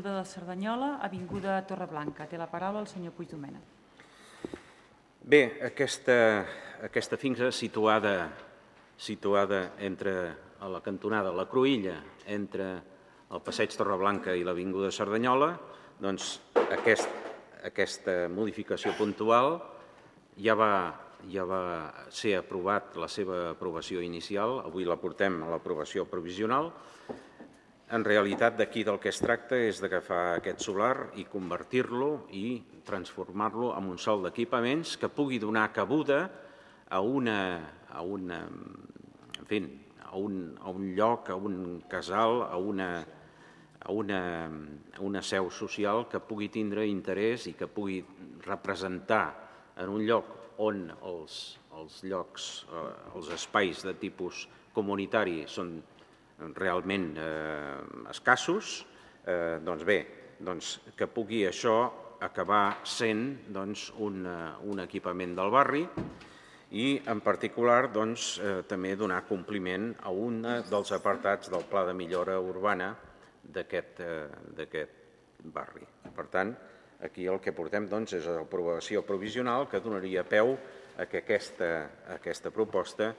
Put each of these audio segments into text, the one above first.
de Cerdanyola, avinguda Torreblanca. Té la paraula el senyor Puigdomènech. Bé, aquesta finca situada entre a la cantonada, la cruïlla, entre el passeig Torreblanca i l'avinguda Cerdanyola, doncs aquesta modificació puntual ja va ser aprovat, la seva aprovació inicial, avui la portem a l'aprovació provisional. En realitat, d'aquí del que es tracta és d'agafar aquest solar i convertir-lo i transformar-lo en un sol d'equipaments que pugui donar cabuda a un lloc, a un casal, a una seu social que pugui tindre interès i que pugui representar en un lloc on els espais de tipus comunitari són realment escassos, doncs bé, que pugui això acabar sent un equipament del barri i, en particular, també donar compliment a un dels apartats del Pla de Millora Urbana d'aquest barri. Per tant, aquí el que portem és l'aprovació provisional que donaria peu a que aquesta proposta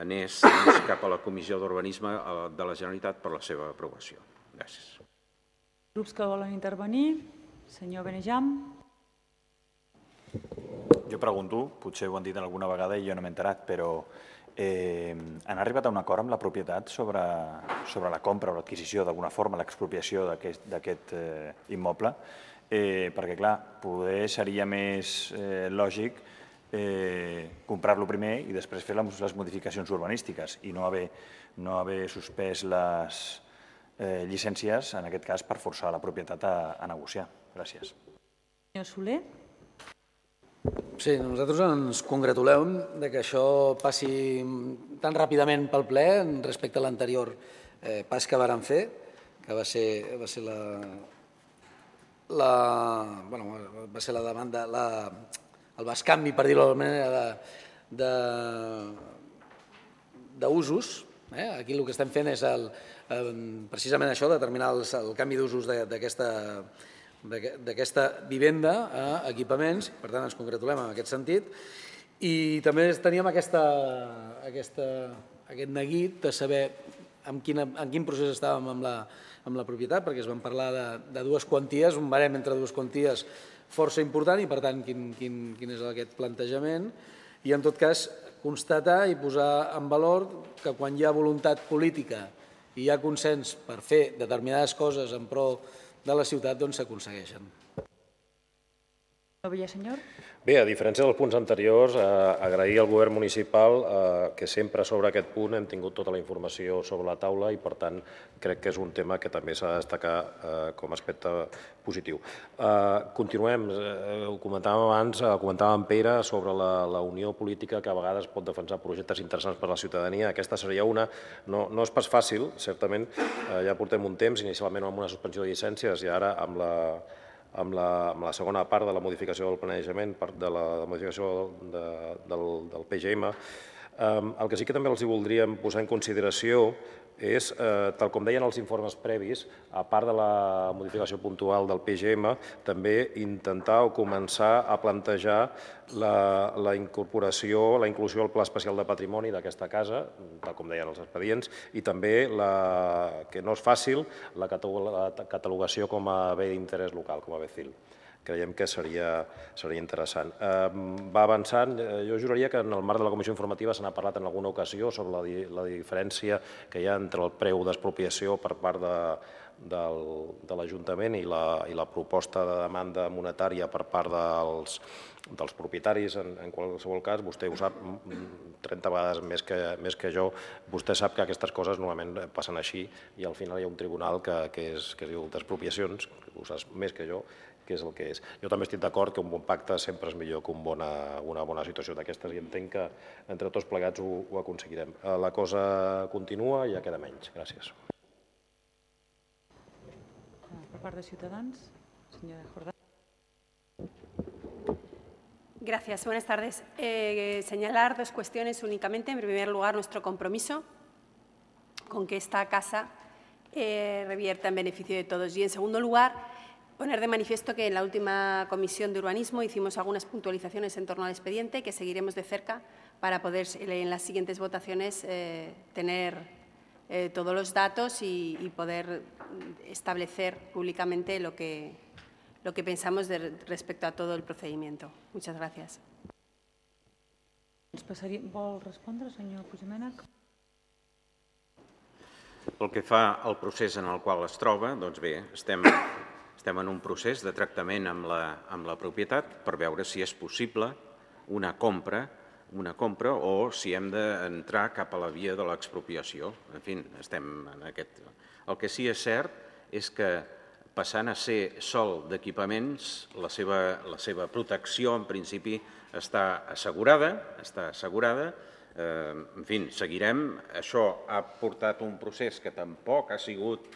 anés cap a la Comissió d'Urbanisme de la Generalitat per la seva aprovació. Gràcies. Grups que volen intervenir. Senyor Benejam. Jo pregunto, potser ho han dit alguna vegada i jo no m'he enterat, però han arribat a un acord amb la propietat sobre la compra o l'adquisició, d'alguna forma, l'expropiació d'aquest immoble? Perquè, clar, poder seria més lògic comprar-lo primer i després fer les modificacions urbanístiques i no haver suspès les llicències, en aquest cas, per forçar la propietat a negociar. Gràcies. Senyor Soler. Sí, nosaltres ens congratulem que això passi tan ràpidament pel ple respecte a l'anterior pas que vàrem fer, que va ser la demanda, el bescanvi, per dir-ho d'alguna manera, d'usos. Aquí el que estem fent és precisament això, determinar el canvi d'usos d'aquesta vivenda a equipaments. Per tant, ens congratulem en aquest sentit. I també teníem aquest neguit de saber en quin procés estàvem amb la propietat, perquè es van parlar de dues quanties, un barem entre dues quanties força important i, per tant, quin és aquest plantejament. I, en tot cas, constatar i posar en valor que quan hi ha voluntat política i hi ha consens per fer determinades coses en pro de la ciutat, doncs s'aconsegueixen. Senyor. Bé, a diferència dels punts anteriors, agrair al govern municipal que sempre sobre aquest punt hem tingut tota la informació sobre la taula i, per tant, crec que és un tema que també s'ha de destacar com a aspecte positiu. Continuem, ho comentàvem abans, comentàvem amb Pere sobre la unió política que a vegades pot defensar projectes interessants per a la ciutadania. Aquesta seria una, no és pas fàcil, certament, ja portem un temps, inicialment amb una suspensió de llicències i ara amb la segona part de la modificació del planejament, de la modificació del PGM. El que sí que també els voldríem posar en consideració és, tal com deien els informes previs, a part de la modificació puntual del PGM, també intentar o començar a plantejar la incorporació, la inclusió al Pla Especial de Patrimoni d'aquesta casa, tal com deien els expedients, i també, que no és fàcil, la catalogació com a bé d'interès local, com a bé CIL. Creiem que seria interessant. Va avançant, jo juraria que en el marc de la comissió informativa se n'ha parlat en alguna ocasió sobre la diferència que hi ha entre el preu d'expropiació per part de l'Ajuntament i la proposta de demanda monetària per part dels propietaris. En qualsevol cas, vostè ho sap 30 vegades més que jo, vostè sap que aquestes coses normalment passen així i al final hi ha un tribunal que es diu d'expropiacions, ho saps més que jo, que és el que és. Jo també estic d'acord que un bon pacte sempre és millor que una bona situació d'aquestes i entenc que entre tots plegats ho aconseguirem. La cosa continua i ja queda menys. Gràcies. Per part de Ciutadans, senyora Jordà. Gracias. Buenas tardes. Señalar dos cuestiones únicamente. En primer lugar, nuestro compromiso con que esta casa revierta en beneficio de todos. Y, en segundo lugar, poner de manifiesto que en la última comisión de urbanismo hicimos algunas puntualizaciones en torno al expediente que seguiremos de cerca para poder en las siguientes votaciones tener todos los datos y poder establecer públicamente lo que pensamos respecto a todo el procedimiento. Muchas gracias. Vol respondre, senyor Puigdomènech? Pel que fa al procés en el qual es troba, doncs bé, estem en un procés de tractament amb la propietat per veure si és possible una compra o si hem d'entrar cap a la via de l'expropiació. En fi, estem en aquest... El que sí és cert és que passant a ser sòl d'equipaments, la seva protecció en principi està assegurada. En fi, seguirem. Això ha portat un procés que tampoc ha sigut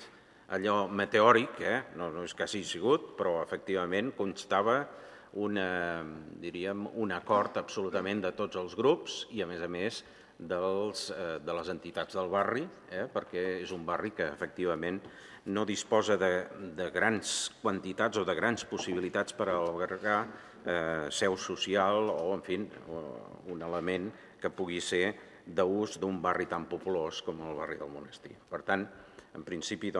allò meteòric, no és que hagi sigut, però efectivament constava un acord absolutament de tots els grups i, a més, de les entitats del barri, perquè és un barri que efectivament no disposa de grans quantitats o de grans possibilitats per albergar seu social o, en fi, un element que pugui ser d'ús d'un barri tan populós com el barri del Monestir. Per tant, en principi,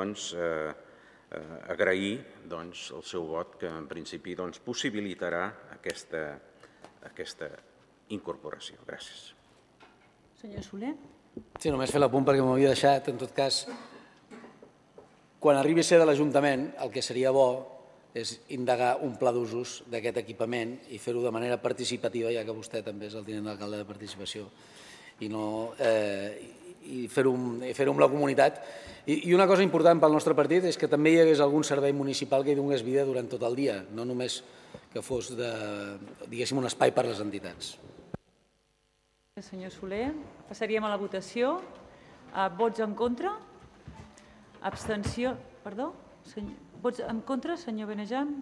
agrair el seu vot, que en principi possibilitarà aquesta incorporació. Gràcies. Senyor Soler? Sí, només fer l'apunt perquè m'ho havia deixat. En tot cas, quan arribi a ser de l'Ajuntament, el que seria bo és indagar un pla d'usos d'aquest equipament i fer-ho de manera participativa, ja que vostè també és el tinent d'alcalde de participació, i fer-ho amb la comunitat. I una cosa important pel nostre partit és que també hi hagués algun servei municipal que hi donés vida durant tot el dia, no només que fos, diguéssim, un espai per a les entitats. Senyor Soler, passaríem a la votació. Vots en contra? Abstenció? Perdó? Vots en contra, senyor Benejam?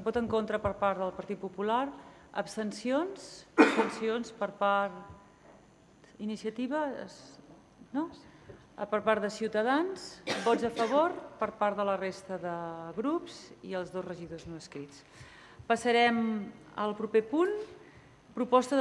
Vot en contra per part del Partit Popular. Abstencions? Abstencions per part d'Iniciativa? No? Per part de Ciutadans. Vots a favor per part de la resta de grups i els dos regidors no escrits. Passarem al proper punt. Proposta